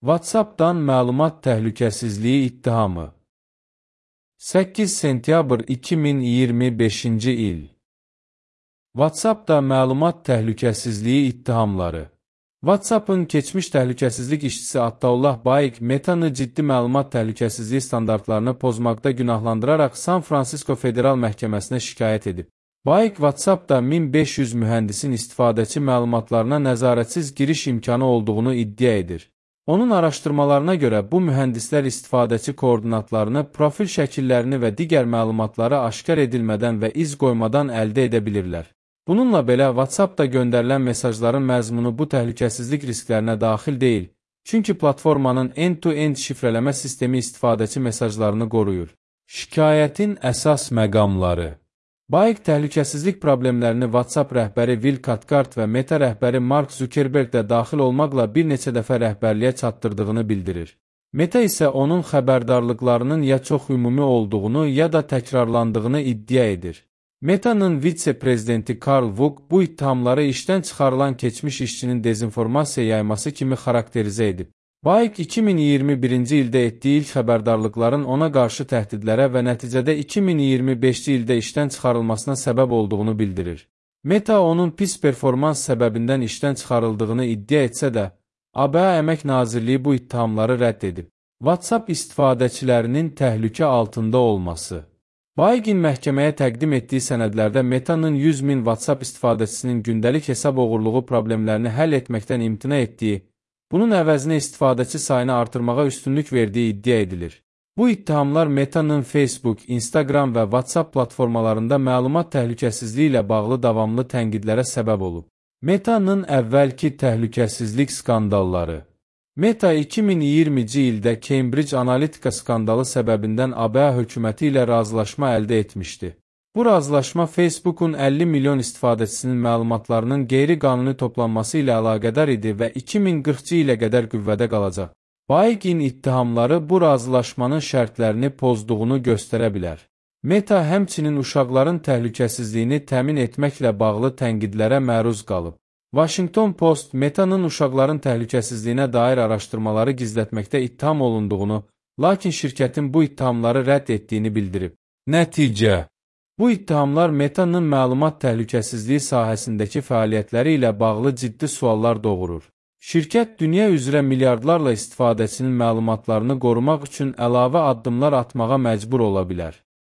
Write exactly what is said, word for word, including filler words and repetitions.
WhatsApp-dan məlumat təhlükəsizliyi ittihamı. səkkiz sentyabr iki min iyirmi beşinci il. WhatsApp-da məlumat təhlükəsizliyi ittihamları. WhatsApp-ın keçmiş təhlükəsizlik işçisi Attaullah Bayik Metanı ciddi məlumat təhlükəsizliyi standartlarını pozmaqda günahlandıraraq San Fransisko Federal Məhkəməsinə şikayət edib. Bayik WhatsApp-da min beş yüz mühəndisin istifadəçi məlumatlarına nəzarətsiz giriş imkanı olduğunu iddia edir. Onun araşdırmalarına görə bu mühəndislər istifadəçi koordinatlarını, profil şəkillərini və digər məlumatları aşkar edilmədən və iz qoymadan əldə edə bilirlər. Bununla belə, WhatsApp-da göndərilən mesajların məzmunu bu təhlükəsizlik risklərinə daxil deyil, çünki platformanın end-to-end şifrələmə sistemi istifadəçi mesajlarını qoruyur. Şikayətin əsas məqamları. Bayik təhlükəsizlik problemlərini WhatsApp rəhbəri Will Cathcart və Meta rəhbəri Mark Zuckerberg də daxil olmaqla bir neçə dəfə rəhbərliyə çatdırdığını bildirir. Meta isə onun xəbərdarlıqlarının ya çox ümumi olduğunu, ya da təkrarlandığını iddia edir. Meta'nın vitse-prezidenti Carl Vuk bu ittihamları işdən çıxarılan keçmiş işçinin dezinformasiya yayması kimi xarakterizə edib. Bayik iki min iyirmi birinci ildə etdiyi ilk xəbərdarlıqların ona qarşı təhdidlərə və nəticədə iki min iyirmi beşinci ildə işdən çıxarılmasına səbəb olduğunu bildirir. Meta onun pis performans səbəbindən işdən çıxarıldığını iddia etsə də, A B A Əmək Nazirliyi bu ittihamları rədd edib. WhatsApp istifadəçilərinin təhlükə altında olması. Bayikin məhkəməyə təqdim etdiyi sənədlərdə Meta'nın yüz min WhatsApp istifadəçisinin gündəlik hesab oğurluğu problemlərini həll etməkdən imtina etdiyi, bunun əvəzinə istifadəçi sayını artırmağa üstünlük verdiyi iddia edilir. Bu ittihamlar Meta'nın Facebook, Instagram və WhatsApp platformalarında məlumat təhlükəsizliyi ilə bağlı davamlı tənqidlərə səbəb olub. Meta'nın əvvəlki təhlükəsizlik skandalları. Meta iki min iyirminci ildə Cambridge Analytica skandalı səbəbindən A B A hökuməti ilə razılaşma əldə etmişdi. Bu razılaşma Facebook'un əlli milyon istifadəçisinin məlumatlarının qeyri-qanuni toplanması ilə əlaqədar idi və iki min qırxıncı ilə qədər qüvvədə qalacaq. Bayikin ittihamları bu razılaşmanın şərtlərini pozduğunu göstərə bilər. Meta həmçinin uşaqların təhlükəsizliyini təmin etməklə bağlı tənqidlərə məruz qalıb. Washington Post Meta'nın uşaqların təhlükəsizliyinə dair araşdırmaları gizlətməkdə ittiham olunduğunu, lakin şirkətin bu ittihamları rədd etdiyini bildirib. Nəticə. Bu ittihamlar Meta'nın məlumat təhlükəsizliyi sahəsindəki fəaliyyətləri ilə bağlı ciddi suallar doğurur. Şirkət dünya üzrə milyardlarla istifadəçinin məlumatlarını qorumaq üçün əlavə addımlar atmağa məcbur ola bilər.